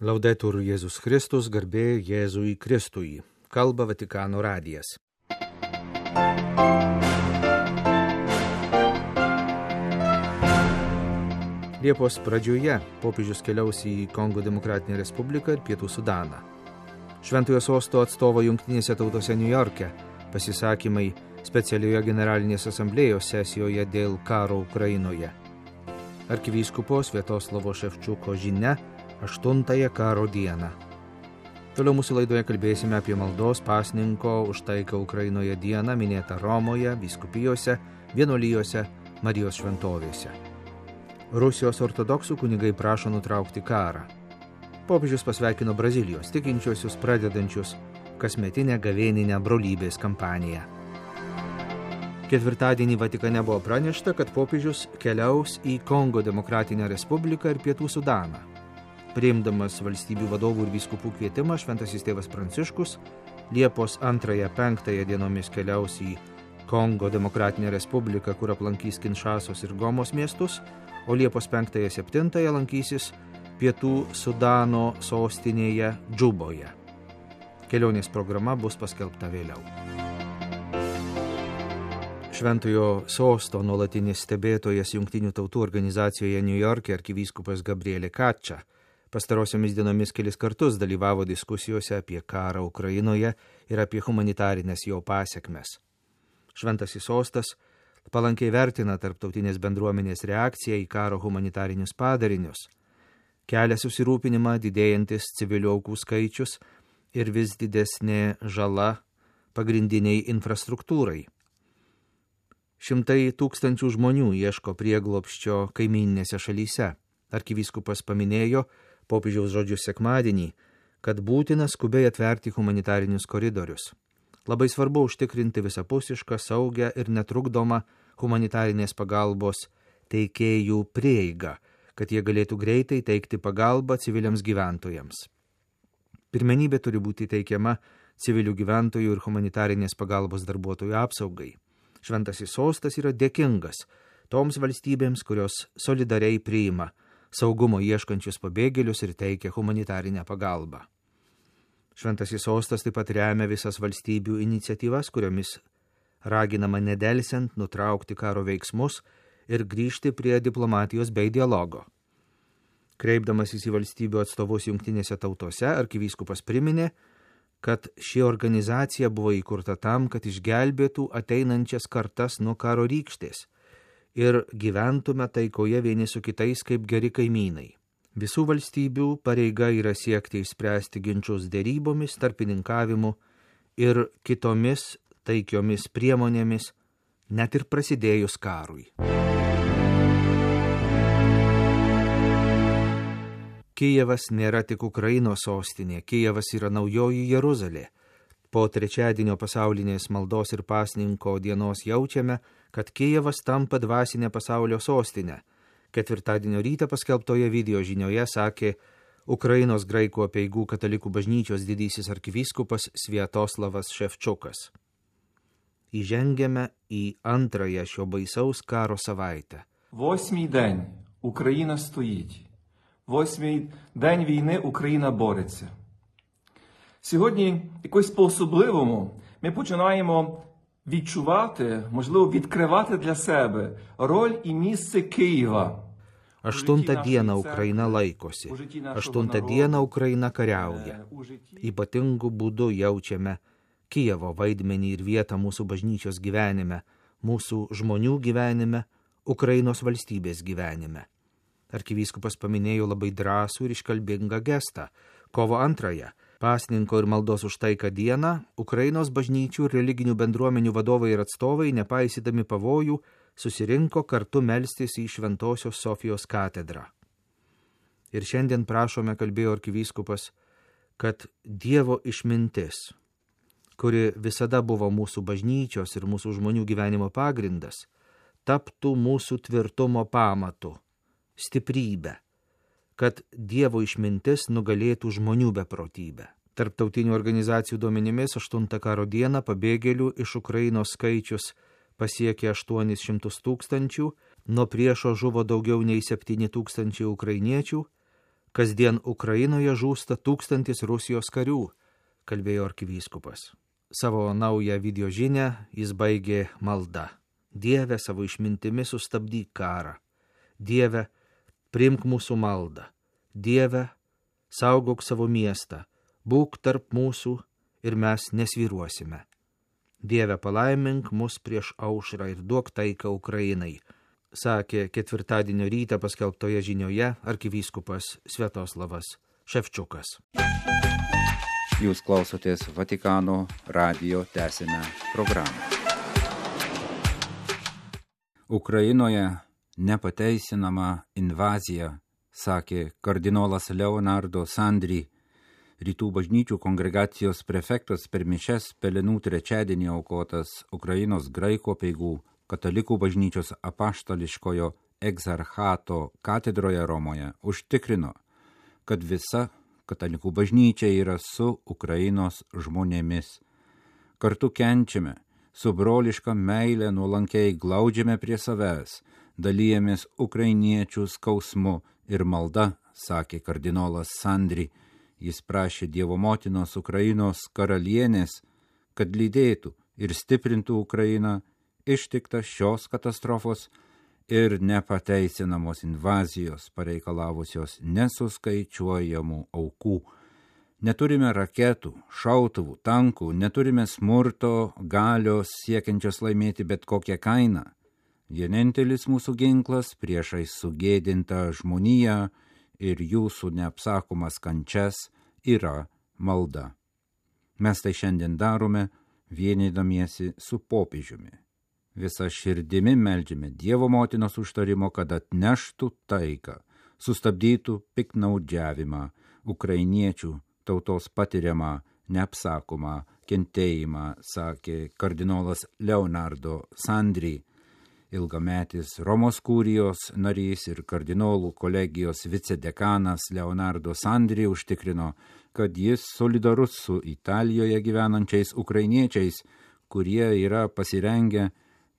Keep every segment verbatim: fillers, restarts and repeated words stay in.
Laudetur Jėzus Kristus, garbė Jėzui Kristui. Kalba Vatikano radijas. Liepos pradžioje popiežius keliaus į Kongo Demokratinę Respubliką ir Pietų Sudaną. Šventojo sosto atstovo Jungtinėse tautose Niujorke pasisakymai specialioje generalinės asamblėjos sesijoje dėl karo Ukrainoje. Arkivyskupo Sviatoslavo Ševčiuko žinia aštuntąją karo dieną. Toliau mūsų laidoje kalbėsime apie maldos pasninko už taiką Ukrainoje dieną minėtą Romoje, vyskupijose, vienuolijose, Marijos šventovėse. Rusijos ortodoksų kunigai prašo nutraukti karą. Popiežius pasveikino Brazilijos tikinčiuosius pradedančius kasmetinę gavėninę brolybės kampaniją. Ketvirtadienį Vatikane buvo pranešta, kad popiežius keliaus į Kongo Demokratinę Respubliką ir Pietų Sudaną. Priimdamas valstybių vadovų ir vyskupų kvietimą, šventasis tėvas Pranciškus Liepos antrąją penktąją dienomis keliaus į Kongo Demokratinę Respubliką, kur aplankys Kinšasos ir Gomos miestus, o Liepos penktąją septintąją lankysis Pietų Sudano sostinėje Džuboje. Kelionės programa bus paskelbta vėliau. Šventojo sosto nuolatinis stebėtojas Jungtinių tautų organizacijoje Niujorke arkivyskupas Gabrielė Kačia pastarosiomis dienomis kelis kartus dalyvavo diskusijose apie karą Ukrainoje ir apie humanitarinės jo pasekmes. Šventasis sostas palankiai vertina tarptautinės bendruomenės reakciją į karo humanitarinius padarinius, kelia susirūpinimą didėjantis civilių aukų skaičius ir vis didesnė žala pagrindiniai infrastruktūrai. Šimtai tūkstančių žmonių ieško prieglobsčio kaimyninėse šalyse. Arkivyskupas paminėjo popiežiaus žodžius sekmadienį, kad būtina skubiai atverti humanitarinius koridorius. Labai svarbu užtikrinti visapusišką, saugią ir netrukdomą humanitarinės pagalbos teikėjų prieigą, kad jie galėtų greitai teikti pagalbą civiliams gyventojams. Pirmenybė turi būti teikiama civilių gyventojų ir humanitarinės pagalbos darbuotojų apsaugai. Šventasis sostas yra dėkingas toms valstybėms, kurios solidariai priima saugumo ieškančius pabėgėlius ir teikia humanitarinę pagalbą. Šventasis sostas taip pat remia visas valstybių iniciatyvas, kuriomis raginama nedelsiant nutraukti karo veiksmus ir grįžti prie diplomatijos bei dialogo. Kreipdamasis į valstybių atstovus Jungtinėse tautose, arkivyskupas priminė, kad ši organizacija buvo įkurta tam, kad išgelbėtų ateinančias kartas nuo karo rykštės ir gyventume taikoje vieni su kitais kaip geri kaimynai. Visų valstybių pareiga yra siekti išspręsti ginčus derybomis, tarpininkavimu ir kitomis taikiomis priemonėmis, net ir prasidėjus karui. Kijevas nėra tik Ukrainos sostinė, Kijevas yra naujoji Jeruzalė. Po trečiadienio pasaulinės maldos ir pasninko dienos jaučiame, kad Kijevas tampa dvasinė pasaulio sostinė. Ketvirtadienio rytą paskelbtoje video žinioje sakė Ukrainos graikų apeigų katalikų bažnyčios didysis arkivyskupas Sviatoslavas Ševčiukas. Įžengiame į antrąją šio baisaus karo savaitę. Восьмий день Україна стоїть. Восьмий день війни Україна бореться. Сьогодні якось по-особливому ми починаємо відчувати, можливо, відкривати для себе роль і місце Києва. Aštuntą dieną Ukraina laikosi, aštuntą dieną Ukraina kariauja. Ypatingu būdu jaučiame Kijevo vaidmenį ir vietą mūsų bažnyčios gyvenime, mūsų žmonių gyvenime, Ukrainos valstybės gyvenime. Arkivyskupas paminėjo labai drąsų ir iškalbingą gestą. Kovo antrąją, pasninko ir maldos už taiką dieną, Ukrainos bažnyčių ir religinių bendruomenių vadovai ir atstovai, nepaisydami pavojų, susirinko kartu melstis į Šventosios Sofijos katedrą. Ir šiandien prašome, kalbėjo arkivyskupas, kad Dievo išmintis, kuri visada buvo mūsų bažnyčios ir mūsų žmonių gyvenimo pagrindas, taptų mūsų tvirtumo pamatu, stiprybę, kad Dievo išmintis nugalėtų žmonių beprotybę. Tarptautinių organizacijų duomenimis aštuntą karo dieną pabėgėlių iš Ukrainos skaičius pasiekė aštuonis šimtus tūkstančių, nuo priešo žuvo daugiau nei septyni tūkstančiai ukrainiečių, Kasdien Ukrainoje žūsta tūkstantis Rusijos karių, kalbėjo arkivyskupas. Savo naują video žinią jis baigė malda. Dieve, savo išmintimi sustabdyk karą. Dieve, priimk mūsų maldą. Dieve, saugok savo miestą. Būk tarp mūsų ir mes nesvyruosime. Dieve, palaimink mus prieš aušrą ir duok taiką Ukrainai, sakė ketvirtadienio rytą paskelbtoje žinioje arkivyskupas Sviatoslavas Ševčiukas. Jūs klausotės Vatikano radijo tęsinę programą. Ukrainoje nepateisinama invazija, sakė kardinolas Leonardo Sandri, Rytų bažnyčių kongregacijos prefektas per mišias Pelenų trečiadienį aukotas Ukrainos graikų apeigų katalikų bažnyčios apaštališkojo egzarchato katedroje Romoje užtikrino, kad visa katalikų bažnyčia yra su Ukrainos žmonėmis. Kartu kenčiame, su broliška meile nuolankiai glaudžiame prie savęs, dalyjamės ukrainiečių skausmu ir malda, sakė kardinolas Sandri. Jis prašė Dievo motinos Ukrainos karalienės, kad lydėtų ir stiprintų Ukrainą ištiktą šios katastrofos ir nepateisinamos invazijos pareikalavusios nesuskaičiuojamų aukų. Neturime raketų, šautuvų, tankų, neturime smurto, galios siekiančios laimėti bet kokią kainą. Vienintelis mūsų ginklas priešais sugėdintą žmoniją ir jūsų neapsakomas kančias yra malda. Mes tai šiandien darome, vienydamiesi su popiežiumi. Visa širdimi meldžiame Dievo motinos užtarimo, kad atneštų taiką, sustabdytų piktnaudžiavimą, ukrainiečių tautos patiriamą neapsakomą kentėjimą, sakė kardinolas Leonardo Sandri, ilgametis Romos kurijos narys ir kardinolų kolegijos vicedekanas Leonardo Sandri užtikrino, kad jis solidarus su Italijoje gyvenančiais ukrainiečiais, kurie yra pasirengę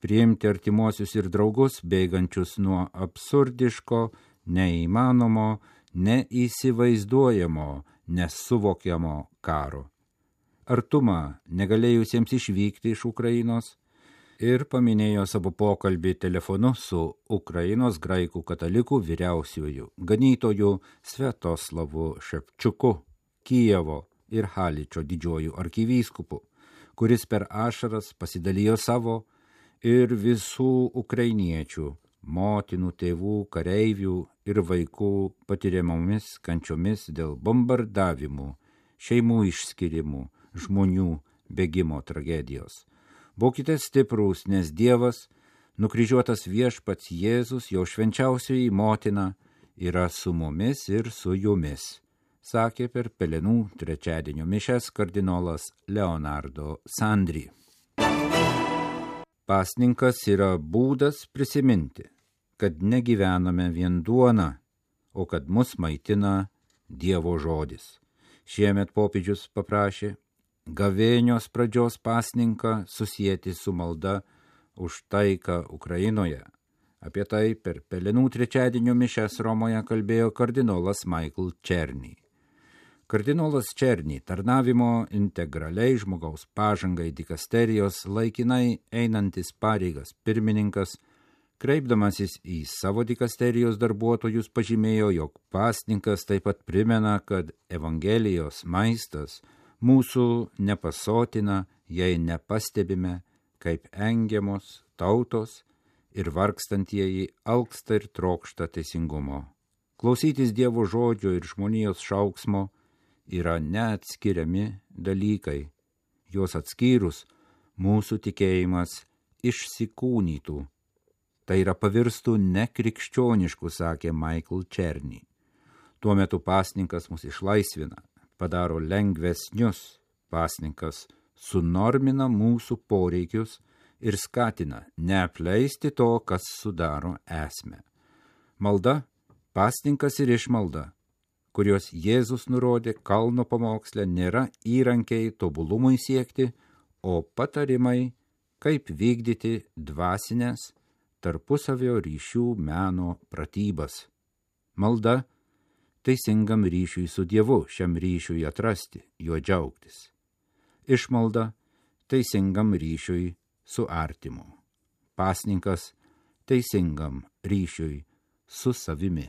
priimti artimuosius ir draugus, bėgančius nuo absurdiško, neįmanomo, neįsivaizduojamo, nesuvokiamo karo. Artumą negalėjusiems išvykti iš Ukrainos ir paminėjo savo pokalbį telefonu su Ukrainos graikų katalikų vyriausiuoju ganytoju Sviatoslavu Ševčiuku, Kijevo ir Haličo didžiuoju arkivyskupu, kuris per ašaras pasidalijo savo ir visų ukrainiečių, motinų, tėvų, kareivių ir vaikų patiriamomis kančiomis dėl bombardavimų, šeimų išskirimų, žmonių bėgimo tragedijos. Būkite stiprūs, nes Dievas, nukryžiuotas viešpats Jėzus, jo švenčiausioji motina, yra su mumis ir su jumis, sakė per Pelenų trečiadienio mišias kardinolas Leonardo Sandri. Pasninkas yra būdas prisiminti, kad negyvename vien duona, o kad mus maitina Dievo žodis. Šiemet popiežius paprašė gavėnios pradžios pasninką susijęti su malda už taiką Ukrainoje. Apie tai per Pelenų trečiadienio mišias Romoje kalbėjo kardinolas Michael Černy. Kardinolas Černy, tarnavimo integraliai žmogaus pažangai dikasterijos laikinai einantis pareigas pirmininkas, kreipdamasis į savo dikasterijos darbuotojus, pažymėjo, jog pasninkas taip pat primena, kad Evangelijos maistas mūsų nepasotina, jei nepastebime, kaip engiamos tautos ir vargstantieji alksta ir trokšta teisingumo. Klausytis Dievo žodžio ir žmonijos šauksmo yra neatskiriami dalykai. Juos atskyrus, mūsų tikėjimas išsikūnytų. Tai yra pavirstų nekrikščioniškų, sakė Michael Černy. Tuo metu pasninkas mus išlaisvina, padaro lengvesnius. Pasninkas sunormina mūsų poreikius ir skatina neapleisti to, kas sudaro esmę. Malda, pasninkas ir išmalda, kurios Jėzus nurodė kalno pamoksle, nėra įrankiai tobulumui siekti, o patarimai, kaip vykdyti dvasinės tarpusavio ryšių meno pratybas. Malda teisingam ryšiui su Dievu, šiam ryšiui atrasti, juo džiaugtis. Išmalda teisingam ryšiui su artimu. Pasninkas teisingam ryšiui su savimi,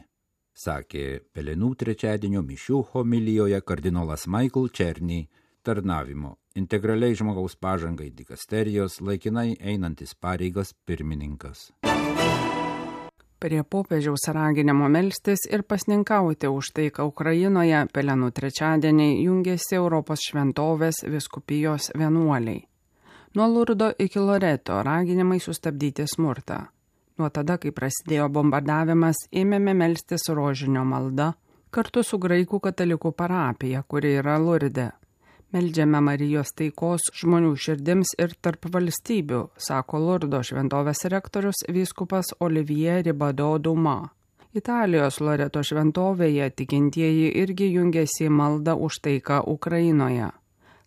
sakė Pelenų trečiadienio mišių homilijoje kardinolas Michael Černy, tarnavimo integraliai žmogaus pažangai dikasterijos laikinai einantis pareigas pirmininkas. Prie popiežiaus raginimo melstis ir pasninkauti už taiką Ukrainoje Pelenų trečiadienį jungėsi Europos šventovės vyskupijos vienuoliai. Nuo Lurdo iki Loreto raginimai sustabdyti smurtą. Nuo tada, kai prasidėjo bombardavimas, ėmėme melstis rožinio malda kartu su graikų katalikų parapija, kuri yra Lurde. Meldžiame Marijos taikos žmonių širdims ir tarp valstybių, sako Lurdo šventovės rektorius vyskupas Olivier Ribado Duma. Italijos Loreto šventovėje tikintieji irgi jungėsi į maldą už taiką Ukrainoje.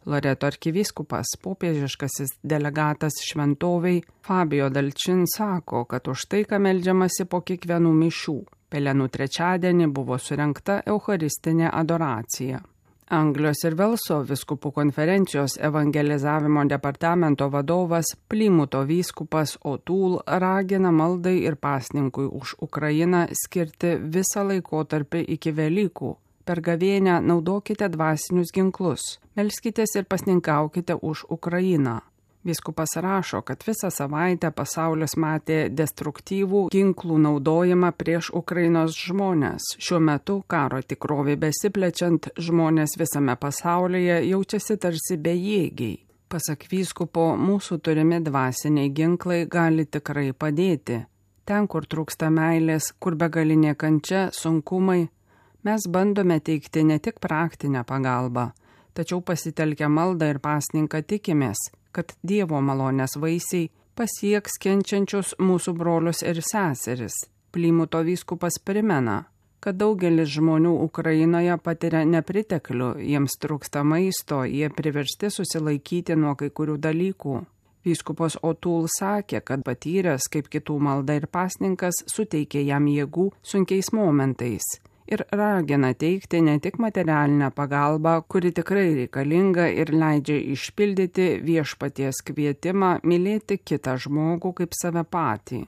Loreto arkivyskupas, popiežiškasis delegatas šventoviai Fabio Dalčin sako, kad už taiką meldžiamasi po kiekvienų mišių. Pelenų trečiadienį buvo surengta eucharistinė adoracija. Anglijos ir Velso vyskupų konferencijos evangelizavimo departamento vadovas Plymuto vyskupas O'Toole ragina maldai ir pasninkui už Ukrainą skirti visą laikotarpį iki Velykų. Per gavėnią naudokite dvasinius ginklus, melskitės ir pasninkaukite už Ukrainą. Vyskupas rašo, kad visą savaitę pasaulis matė destruktyvų ginklų naudojimą prieš Ukrainos žmonės. Šiuo metu karo tikrovė besiplečiant, žmonės visame pasaulyje jaučiasi tarsi bejėgiai. Pasak vyskupo, mūsų turimi dvasiniai ginklai gali tikrai padėti. Ten, kur trūksta meilės, kur begalinė kančia, sunkumai, mes bandome teikti ne tik praktinę pagalbą, tačiau pasitelkę maldą ir pasninką tikimės, kad Dievo malonės vaisiai pasieks kenčiančius mūsų brolius ir seseris. Plymuto vyskupas primena, kad daugelis žmonių Ukrainoje patiria nepriteklių, jiems trūksta maisto, jie priversti susilaikyti nuo kai kurių dalykų. Vyskupas O'Toole sakė, kad patyręs, kaip kitų malda ir pasninkas, suteikė jam jėgų sunkiais momentais. Ir ragina teikti ne tik materialinę pagalbą, kuri tikrai reikalinga ir leidžia išpildyti viešpaties kvietimą mylėti kitą žmogų kaip save patį.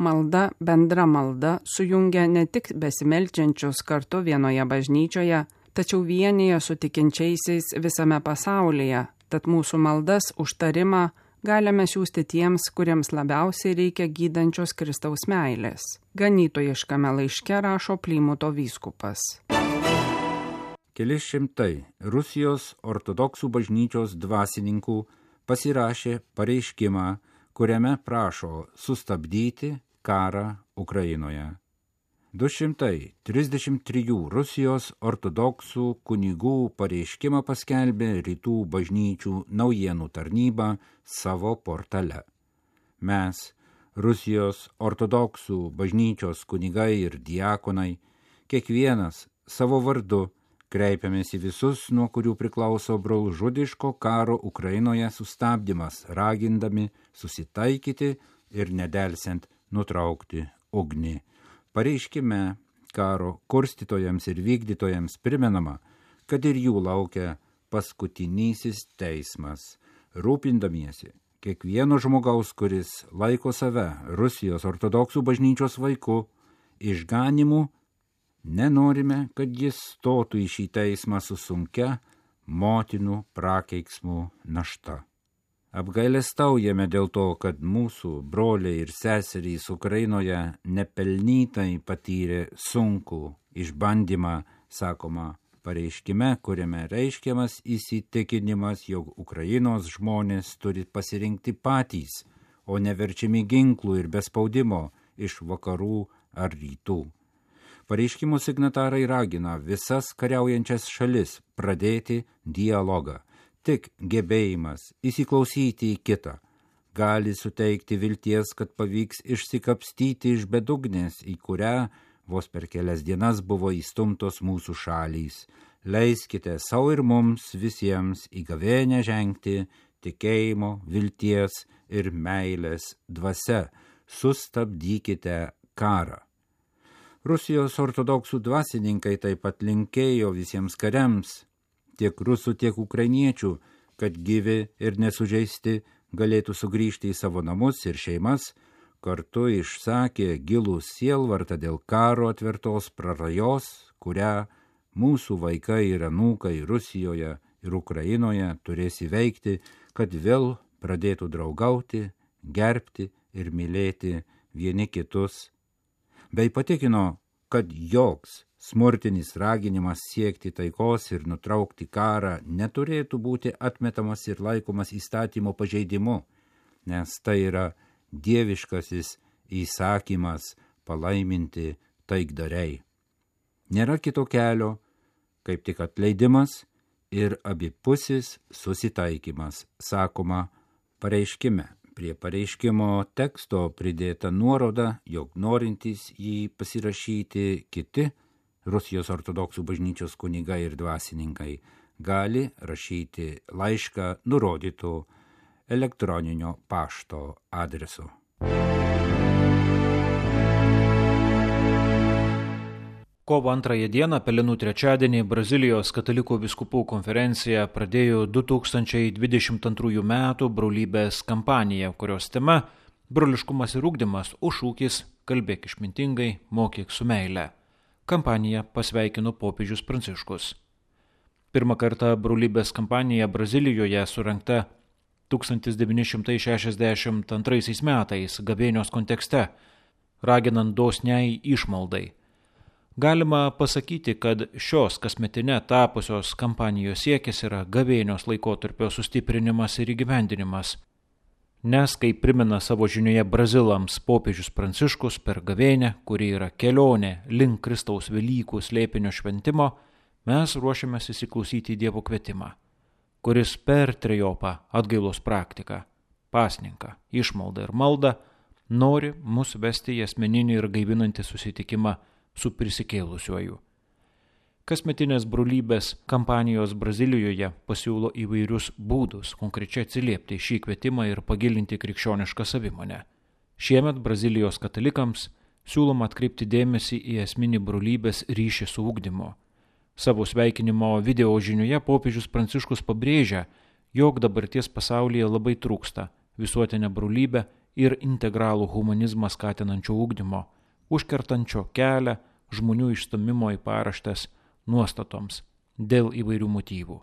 Malda, bendra malda, sujungia ne tik besimeldžiančius kartu vienoje bažnyčioje, tačiau vienyje su tikinčiaisiais visame pasaulyje, tad mūsų maldas užtarimą galime siųsti tiems, kuriems labiausiai reikia gydančios Kristaus meilės. Ganytojiškame laiške rašo Plymuto vyskupas. Keli šimtai Rusijos ortodoksų bažnyčios dvasininkų pasirašė pareiškimą, kuriame prašo sustabdyti karą Ukrainoje. du šimtai trisdešimt trijų Rusijos ortodoksų kunigų pareiškimą paskelbė Rytų bažnyčių naujienų tarnyba savo portale. Mes, Rusijos ortodoksų bažnyčios kunigai ir diakonai, kiekvienas savo vardu kreipiamės į visus, nuo kurių priklauso brolžudiško karo Ukrainoje sustabdymas, ragindami susitaikyti ir nedelsiant nutraukti ugnį. Pareiškime karo kurstytojams ir vykdytojams primenama, kad ir jų laukia paskutinysis teismas, rūpindamiesi kiekvieno žmogaus, kuris laiko save Rusijos ortodoksų bažnyčios vaiku, išganimu, nenorime, kad jis stotų į šį teismą su sunkia motinų prakeiksmų našta. Apgailestaujame dėl to, kad mūsų broliai ir seserys Ukrainoje nepelnytai patyrė sunkų išbandymą, sakoma pareiškime, kuriame reiškiamas įsitikinimas, jog Ukrainos žmonės turi pasirinkti patys, o neverčiami ginklų ir bespaudimo iš vakarų ar rytų. Pareiškimo signatarai ragina visas kariaujančias šalis pradėti dialogą. Tik gebėjimas įsiklausyti į kitą gali suteikti vilties, kad pavyks išsikapstyti iš bedugnės, į kurią vos per kelias dienas buvo įstumtos mūsų šalys. Leiskite savo ir mums visiems į gavėnią žengti tikėjimo, vilties ir meilės dvasia. Sustabdykite karą. Rusijos ortodoksų dvasininkai taip pat linkėjo visiems kariams, tiek rusų, tiek ukrainiečių, kad gyvi ir nesužeisti galėtų sugrįžti į savo namus ir šeimas, kartu išsakė gilų sielvartą dėl karo atvertos prarajos, kurią mūsų vaikai ir anūkai Rusijoje ir Ukrainoje turės įveikti, kad vėl pradėtų draugauti, gerbti ir mylėti vieni kitus, bei patikino, kad joks smurtinis raginimas siekti taikos ir nutraukti karą neturėtų būti atmetamas ir laikomas įstatymo pažeidimu, nes tai yra dieviškasis įsakymas palaiminti taikdariai. Nėra kito kelio, kaip tik atleidimas ir abipusis susitaikymas, sakoma pareiškime. Prie pareiškimo teksto pridėta nuoroda, jog norintys jį pasirašyti kiti Rusijos ortodoksų bažnyčios kunigai ir dvasininkai gali rašyti laišką nurodytų elektroninio pašto adresu. Kovo antrąją dieną, Pelenų trečiadienį, Brazilijos katalikų vyskupų konferencija pradėjo du tūkstančiai dvidešimt antrųjų metų brolybės kampaniją, kurios tema – broliškumas ir ugdymas, o šūkis – kalbėk išmintingai, mokyk su meile. Kampaniją pasveikino popiežius Pranciškus. Pirmą kartą brolybės kampanija Brazilijoje surengta tūkstantis devyni šimtai šešiasdešimt antraisiais metais gavėnios kontekste, raginant dosniai išmaldai. Galima pasakyti, kad šios kasmetine tapusios kampanijos siekis yra gavėnios laikotarpio sustiprinimas ir įgyvendinimas. Nes, kaip primena savo žinioje brazilams popiežius Pranciškus per gavėnę, kuri yra kelionė link Kristaus Velykų slėpinio šventimo, mes ruošiamės įsiklausyti į Dievo kvietimą, kuris per trejopą atgailos praktiką, pasninką, išmaldą ir maldą nori mus vesti į asmeninį ir gaivinantį susitikimą su prisikėlusiuoju. Kasmetinės brolybės kampanijos Brazilijoje pasiūlo įvairius būdus konkrečiai atsiliepti šį kvietimą ir pagilinti krikščionišką savimonę. Šiemet Brazilijos katalikams siūloma atkreipti dėmesį į esminį brolybės ryšį su ugdymu. Savo sveikinimo video žinioje popiežius Pranciškus pabrėžia, jog dabarties pasaulyje labai trūksta visuotinę brolybę ir integralų humanizmą skatinančio ugdymo, užkertančio kelią žmonių išstumimo į paraštes nuostatoms dėl įvairių motyvų.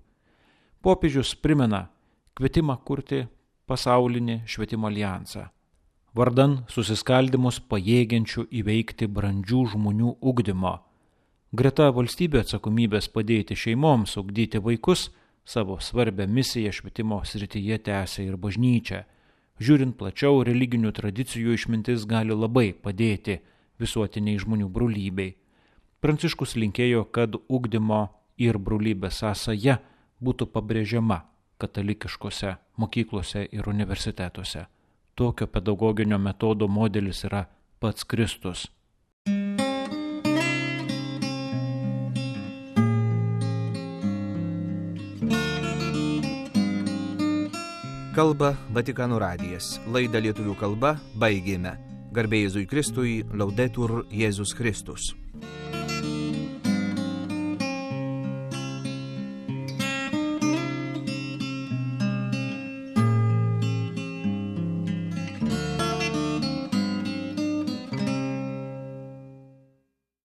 Popiežius primena kvietimą kurti pasaulinį švietimo alijansą, vardan susiskaldimus pajėgiančių įveikti brandžių žmonių ugdymo. Greta valstybė atsakomybės padėti šeimoms ugdyti vaikus, savo svarbią misiją švietimo srityje tęsia ir bažnyčia. Žiūrint plačiau, religinių tradicijų išmintis gali labai padėti visuotiniai žmonių brolybei. Pranciškus linkėjo, kad ugdymo ir brolybės sąsaja būtų pabrėžiama katalikiškose mokyklose ir universitetuose. Tokio pedagoginio metodo modelis yra pats Kristus. Kalba Vatikano radijas. Laidą lietuvių kalba baigėme. Garbė Jėzui Kristui, Laudetur Jėzus Kristus.